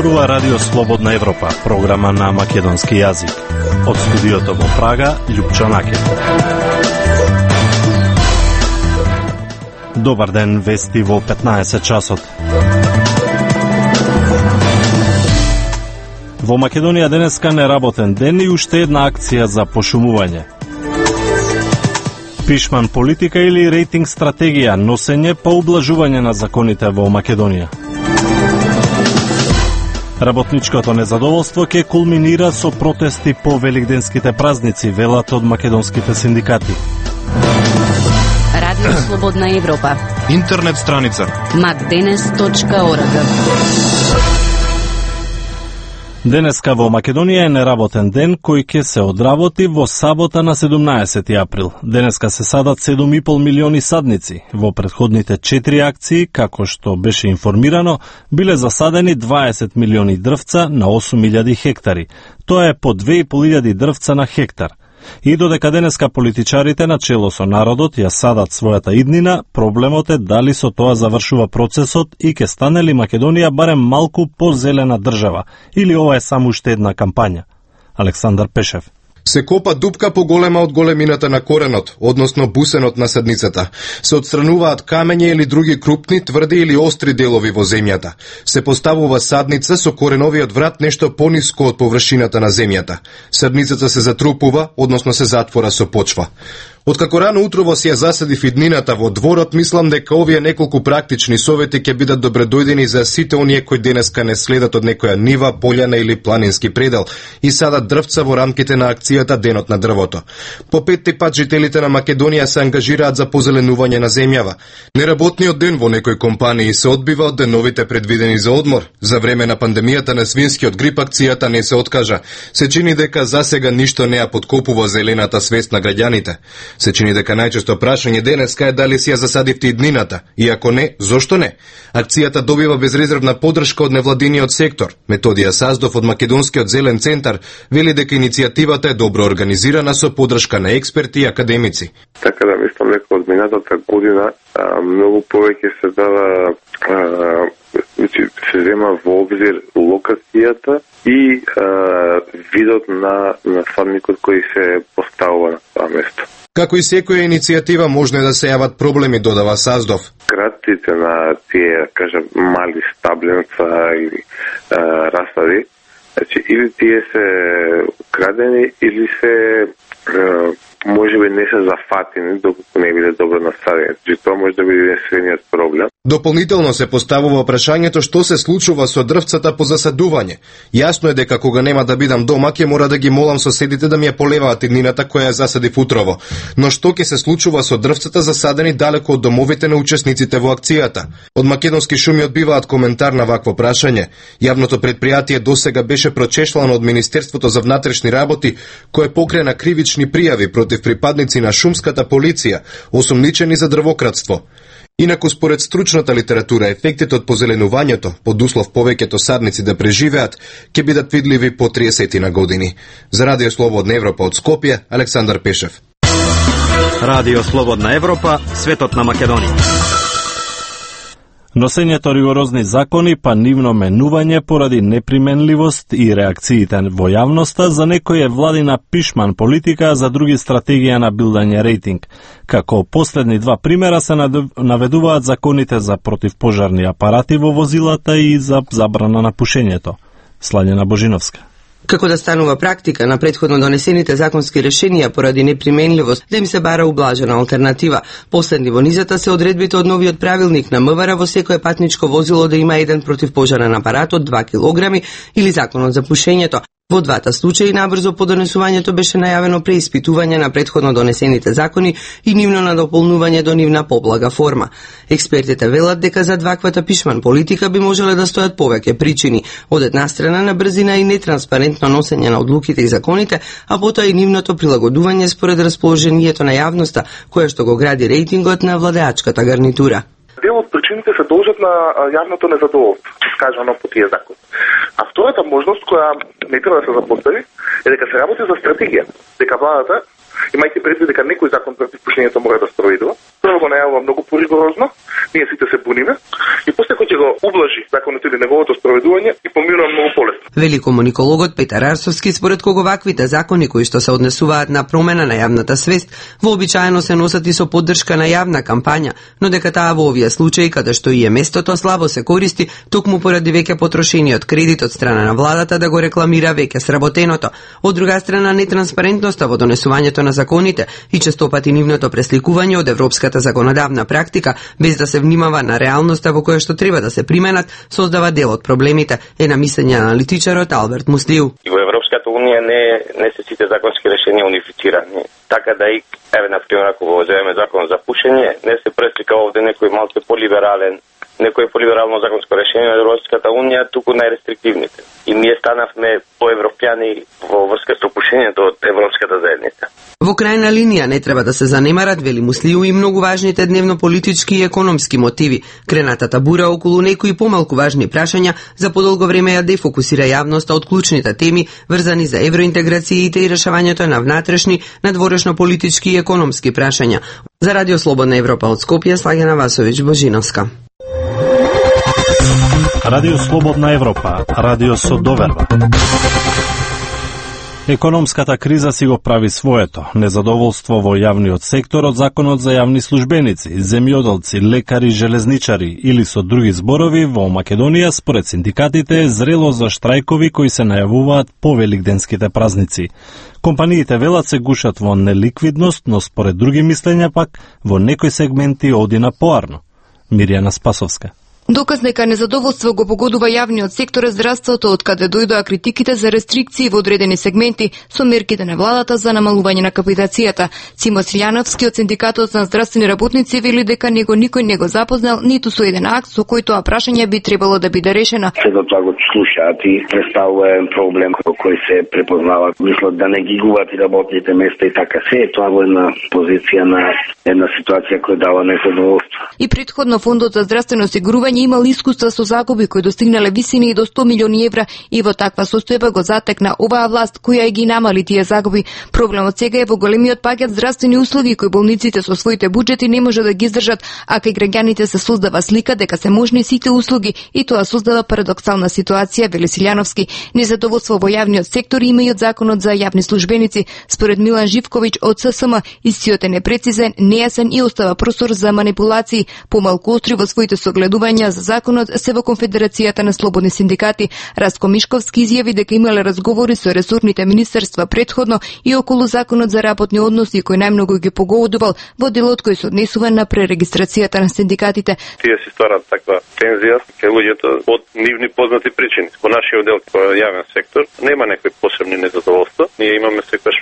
зборува Радио Слободна Европа, програма на македонски јазик. Од студиото во Прага, Љупчо Накев. Добар ден, вести во 15 часот. Во Македонија денеска неработен ден и уште една акција за пошумување. Пишман политика или рейтинг стратегија, носење по ублажување на законите во Македонија. Работничкото незадоволство ќе кулминира со протести по великденските празници, велат од македонските синдикати. Радио Слободна Европа. Интернет страница macdenes.org. Денеска во Македонија е неработен ден кој ќе се одработи во сабота на 17 април. Денеска се садат 7,5 милиони садници. Во претходните 4 акции, како што беше информирано, биле засадени 20 милиони дрвца на 8.000 хектари. Тоа е по 2.500 дрвца на хектар. И додека денеска политичарите на чело со народот ја садат својата иднина, проблемот е дали со тоа завршува процесот и ќе стане ли Македонија барем малку позелена држава, или ова е само уште една кампања. Александар Пешев. Се копа дупка поголема од големината на коренот, односно бусенот на садницата. Се отстрануваат камења или други крупни, тврди или остри делови во земјата. Се поставува садница со кореновиот врат нешто пониско од површината на земјата. Садницата се затрупува, односно се затвора со почва. Откако рано утрово си ја засадив иднината во дворот, мислам дека овие неколку практични совети ќе бидат добредојдени за сите оние кои денеска не следат од некоја нива, полјана или планински предел и садат дрвца во рамките на акцијата Денот на дрвото. По петти пат жителите на Македонија се ангажираат за позеленување на земјава. Неработниот ден во некои компании се одбива од деновите предвидени за одмор. За време на пандемијата на свинскиот грип акцијата не се откажа. Се чини дека засега ништо не ја подкопува зелената свест на граѓаните. Се чини дека најчесто прашање денеска е дали си ја засадивте иднината, и ако не, зошто не? Акцијата добива безрезервна поддршка од невладиниот сектор. Методија Саздов од Македонскиот зелен центар вели дека иницијативата е добро организирана со поддршка на експерти и академици. Така да мислам дека од минатата година многу повеќе се дава се зема во обзир локацијата и видот на садникот кој се поставува на тоа место. Како и секоја иницијатива можно да се јават проблеми, додава Саздов. Кратците на тие, кажем, мали стабленца или расади, значи или тие се крадени или се можеби не се зафатени докато не биде добро насадени. Значи тоа може да биде единствениот проблем. Дополнително се поставува прашањето што се случува со дрвцата по засадување. Јасно е дека кога нема да бидам дома, ќе мора да ги молам соседите да ми ја полеваат иднината која ја засадив утрово. Но што ќе се случува со дрвцата засадени далеко од домовите на учесниците во акцијата? Од Македонски шуми одбиваат коментар на вакво прашање. Јавното предпријатие досега беше прочешлано од Министерството за внатрешни работи, кое покрена кривични пријави против припадници на шумската полиција, осомничени за дрвократство. Инаку, според стручната литература, ефектите од позеленувањето, под услов повеќето садници да преживеат, ќе бидат видливи по 30 на години. За Радио Слободна Европа од Скопје, Александар Пешев. Радио Слободна Европа, светот на Македонија. Носењето ригорозни закони па нивно менување поради неприменливост и реакциите во јавноста за некој е владина пишман политика, а за други стратегија на билдање рейтинг. Како последни два примера се наведуваат законите за противпожарни апарати во возилата и за забрана на пушењето. Слањена Божиновска. Како да станува практика на претходно донесените законски решенија поради неприменливост да им се бара ублажена алтернатива. Последни во низата се одредбите од новиот правилник на МВР во секое патничко возило да има еден противпожарен апарат од 2 килограми или законот за пушењето. Во двата случаи набрзо по донесувањето беше најавено преиспитување на претходно донесените закони и нивно надополнување до нивна поблага форма. Експертите велат дека за ваквата пишман политика би можеле да стојат повеќе причини. Од една страна на брзина и нетранспарентно носење на одлуките и законите, а потоа и нивното прилагодување според расположението на јавноста, која што го гради рейтингот на владеачката гарнитура. Дел од причините се должат на јавното незадоволство, скажано по тие закон. А втората можност која не треба да се запостави е дека се работи за стратегија, дека владата, имајќи предвид дека некој закон против пушењето мора да спроведува, Прво го најавува многу поригорозно, ние сите се буниме, и после кој ќе го ублажи законот или неговото спроведување и поминува многу полесно. Вели комуникологот Петар Арсовски, според кого ваквите закони кои што се однесуваат на промена на јавната свест, вообичаено се носат и со поддршка на јавна кампања, но дека таа во овие случаи каде што и е местото слабо се користи, токму поради веќе потрошениот кредит од страна на владата да го рекламира веќе сработеното. Од друга страна, нетранспарентноста во донесувањето на законите и честопати нивното пресликување од европската законодавна практика, без да се внимава на реалноста во која што треба да се применат, создава дел од проблемите, е на мислење аналитичарот Алберт Муслиу. И во Европската унија не се сите законски решенија унифицирани. Така да и, например, ако го земеме закон за пушење, не се преслика овде некој малку полиберално законско решение на Европската унија, туку најрестриктивните. И ние станавме поевропјани во врска со пушењето од Европската заедница. Во крајна линија не треба да се занемарат, вели Муслиу, и многу важните дневно-политички и економски мотиви. Кренатата бура околу некои помалку важни прашања за подолго време ја дефокусира јавноста од клучните теми врзани за евроинтеграциите и решавањето на внатрешни, надворешно политички и економски прашања. За Радио Слободна Европа од Скопје, Слагена Васовиќ Божиновска. Радио Слободна Европа, радио со доверба. Економската криза си го прави своето. Незадоволство во јавниот сектор од законот за јавни службеници, земјоделци, лекари, железничари или со други зборови во Македонија според синдикатите е зрело за штрајкови кои се најавуваат по великденските празници. Компаниите велат се гушат во неликвидност, но според други мислења пак во некои сегменти оди на поарно. Мирјана Спасовска. Доказ дека незадоволство го погодува јавниот сектор е здравството, од каде дојдоа критиките за рестрикции во одредени сегменти со мерките на владата за намалување на капитацијата. Симо Силјановски од Синдикатот на здравствени работници вели дека никој не го запознал ниту со еден акт со кој тоа прашање би требало да биде решено. Сега тоа го слушаат и представува проблем кој се препознава. Мислат да не ги губат и работните места и така се е тоа во една позиција на една ситуација која дава незадоволство. И претходно Фондот за здравствено осигурување имал искуства со загуби кои достигнале висини и до 100 милиони евра и во таква состојба го затекна оваа власт која ги намали тие загуби. Проблемот сега е во големиот пакет здравствени услуги кои болниците со своите буџети не може да ги издржат, а кај граѓаните се создава слика дека се можни сите услуги и тоа создава парадоксална ситуација, вели Силјановски. Незадоволство во јавниот сектор има и од законот за јавни службеници. Според Милан Живковиќ од ССМ, истиот е непрецизен, нејасен и остава простор за манипулации. Помалку остри во своите согледувања за законот се во Конфедерацијата на слободни синдикати. Растко Мишковски изјави дека имале разговори со ресорните министерства претходно и околу законот за работни односи кој најмногу ги погодувал во делот кој се однесува на пререгистрацијата на синдикатите. Тие си стварат таква тензија кај луѓето од нивни познати причини. Во нашиот дел во јавен сектор нема некои посебни незадоволства. Ние имаме секогаш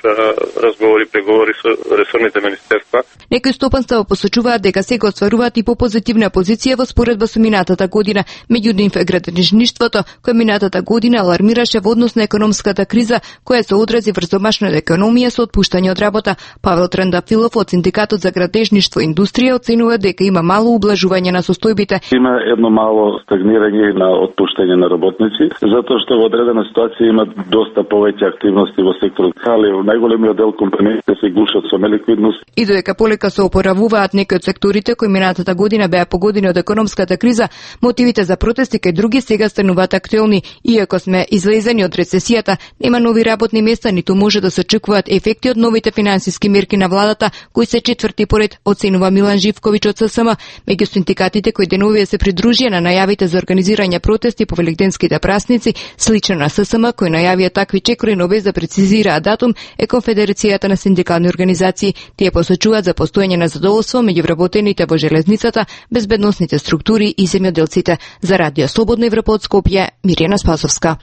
разговори, преговори со ресорните министерства. Некои стопанства посочуваат дека сега остваруваат и попозитивна позиција во споредба со минатата година. Меѓутоа градежништвото кој минатата година алармираше во однос на економската криза која се одрази врз домашната економија со отпуштање од работа. Павел Трендафилов од Синдикатот за градежништво и индустрија оценува дека има мало ублажување на состојбите. Има едно мало стагнирање на отпуштање на работници, затоа што во одредена ситуација има доста повеќе активности во секторот, али во најголемиот дел компаниите се гушат со неликвидност. И додека полека се опоравуваат некои од секторите кои минатата година беа погодени од економската криза, мотивите за протести кај други сега стануваат актуелни. Иако сме излезени од рецесијата, нема нови работни места, ниту може да се очекуваат ефекти од новите финансиски мерки на владата, кои се четврти поред, оценува Милан Живковиќ од ССМ. Меѓу синдикатите кои деновија се придружија на најавите за организирање протести по великденските празници, слично на ССМ кои најавија такви чекори, но без да прецизираат датум, е Конфедерацијата на синдикални организации. Тие посочуваат за постоење на задоволство меѓу вработените во железницата, безбедносните структури и земјоделците. За Радио Слободна Европа од Скопје, Мирјана Спасовска.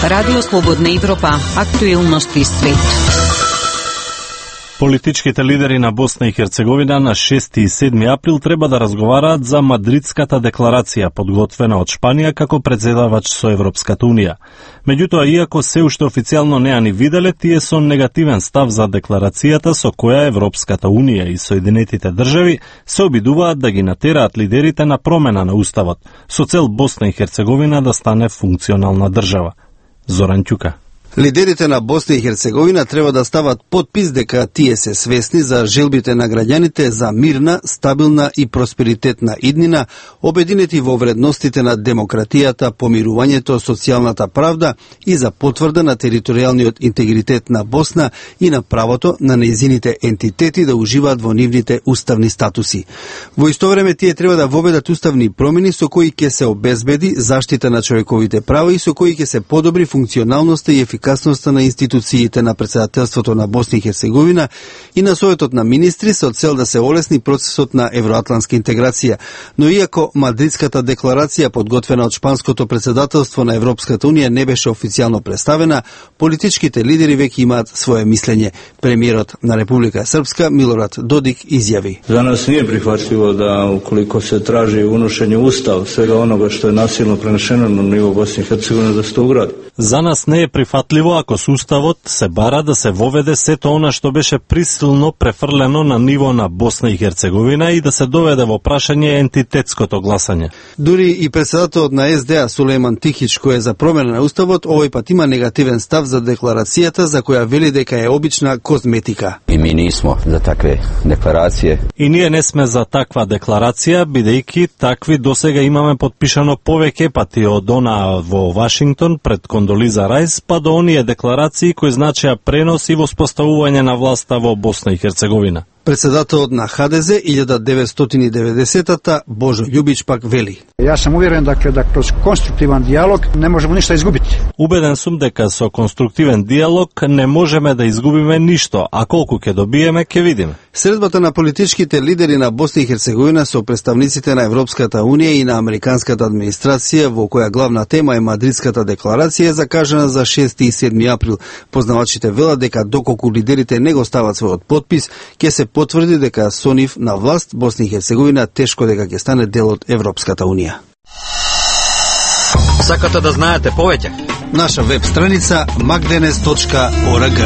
Радио Слободна Европа, актуелности свет. Политичките лидери на Босна и Херцеговина на 6 и 7 април треба да разговараат за Мадридската декларација, подготвена од Шпанија како председавач со Европската Унија. Меѓутоа, иако се уште официјално не ја ни виделе, тие со негативен став за декларацијата со која Европската Унија и Соединетите држави се обидуваат да ги натераат лидерите на промена на уставот, со цел Босна и Херцеговина да стане функционална држава. Зоран Ќука. Лидерите на Босна и Херцеговина треба да стават подпис дека тие се свесни за желбите на граѓаните за мирна, стабилна и просперитетна иднина, обединети во вредностите на демократијата, помирувањето, социјалната правда и за потврда на територијалниот интегритет на Босна и на правото на нејзините ентитети да уживаат во нивните уставни статуси. Во исто време тие треба да воведат уставни промени со кои ќе се обезбеди заштита на човековите права и со кои ќе се подобри функционалноста и ефикасноста на институциите на председателството на Босна и Херцеговина и на Советот на министри со цел да се олесни процесот на евроатлантска интеграција. Но иако Мадридската декларација подготвена од шпанското председателство на Европската унија не беше официјално представена, политичките лидери веќе имаат свое мислење. Премиерот на Република Српска Милорад Додик изјави: За нас nije prihvatljivo da ukoliko se traži unošenje ustav svega onoga što je nasilno prenešeno na nivo Bosne i Hercegovine da se to ugradi. За нас не е прифатливо ако со уставот се бара да се воведе сето она што беше присилно префрлено на ниво на Босна и Херцеговина и да се доведе во прашање ентитетското гласање. Дури и председателот на СДА Сулејман Тихич, кој е за промена на уставот, овој пат има негативен став за декларацијата за која вели дека е обична козметика. И ми нисмо за такве декларације. И ние не сме за таква декларација, бидејќи такви досега имаме подпишано повеќе пати од она во Вашингтон пред Кондолиза Рајс, па до оние декларации кои значеа пренос и воспоставување на власта во Босна и Херцеговина. Председателот на ХДЗ 1990-та Божо Љубич пак вели: Јас сам уверен да кроз конструктивен диалог не можеме ништо изгубити. Убеден сум дека со конструктивен диалог не можеме да изгубиме ништо, а колку ќе добиеме ќе видиме. Средбата на политичките лидери на Босна и Херцеговина со представниците на Европската унија и на американската администрација, во која главна тема е Мадридската декларација, е закажана за 6 и 7 април. Познавачите велат дека доколку лидерите не го стават својот подпис, ќе се потврди дека со нив на власт Босна и Херцеговина тешко дека ќе стане дел од Европската унија. Сакате да знаете повеќе? Наша веб страница magdenes.org.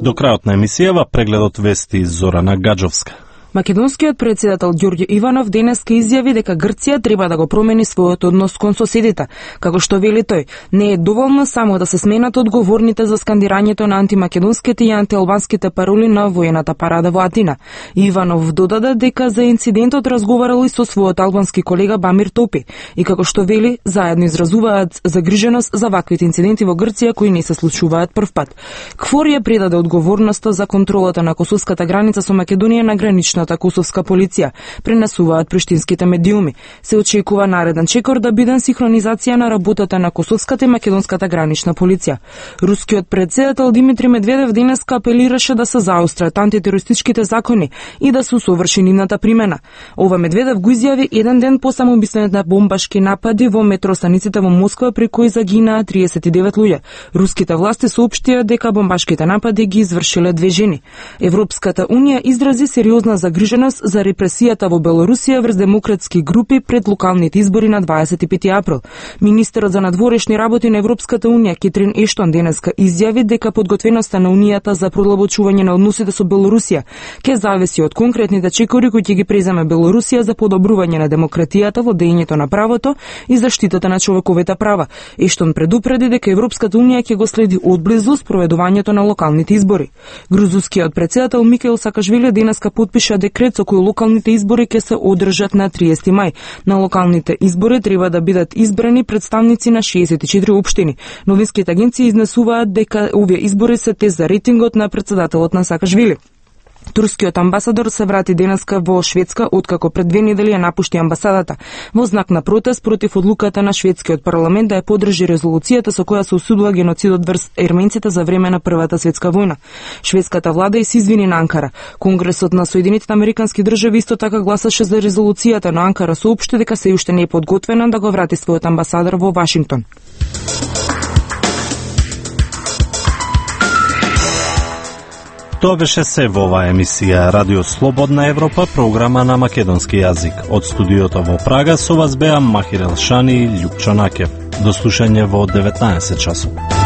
До крајот на емисијава прегледот вести Зорана Гаджовска. Македонскиот председател Ѓорѓе Иванов денеска изјави дека Грција треба да го промени својот однос кон соседите. Како што вели тој, не е доволно само да се сменат одговорните за скандирањето на антимакедонските и антиалбанските пароли на воената парада во Атина. Иванов додаде дека за инцидентот разговарал и со својот албански колега Бамир Топи и како што вели, заедно изразуваат загриженост за ваквите инциденти во Грција кои не се случуваат првпат. КФОР ја предаде одговорноста за контролата на косовската граница со Македонија на граничната косовска полиција, пренесуваат приштинските медиуми. Се очекува нареден чекор да биде синхронизација на работата на косовската и македонската гранична полиција. Рускиот председател Димитри Медведев денеска апелираше да се заострат антитерористичките закони и да се усоврши нивната примена. Ова Медведев го изјави еден ден по самоубиствените бомбашки напади во метростаниците во Москва при кои загинаа 39 луѓе. Руските власти соопштија дека бомбашките напади ги извршиле 2 жени. Европската унија изрази сериозна загриженост за репресијата во Белорусија врз демократски групи пред локалните избори на 25 април. Министерот за надворешни работи на Европската унија Кетрин Ештон денеска изјави дека подготвеноста на унијата за продлабочување на односите со Белорусија ќе зависи од конкретните чекори кои ќе ги преземе Белорусија за подобрување на демократијата, владењето на правото и заштитата на човековите права. Ештон предупреди дека Европската унија ќе го следи одблизу спроведувањето на локалните избори. Грузискиот председател Микаел Сакашвили денеска подпиша декрет со кој локалните избори ќе се одржат на 30 мај. На локалните избори треба да бидат избрани представници на 64 општини. Новинските агенции изнесуваат дека овие избори се тест за рейтингот на председателот на Сакашвили. Турскиот амбасадор се врати денеска во Шведска откако пред 2 недели ја напушти амбасадата во знак на протест против одлуката на шведскиот парламент да ја поддржи резолуцијата со која се осудува геноцидот врз ерменците за време на Првата светска војна. Шведската влада и се извини на Анкара. Конгресот на Соединетите американски држави исто така гласаше за резолуцијата, но Анкара соопшти дека се уште не е подготвена да го врати својот амбасадор во Вашингтон. Тоа беше се во оваа емисија Радио Слободна Европа, програма на македонски јазик. Од студиото во Прага со вас беа Махир Елшани и Љупчо Накев. До слушање во 19 часот.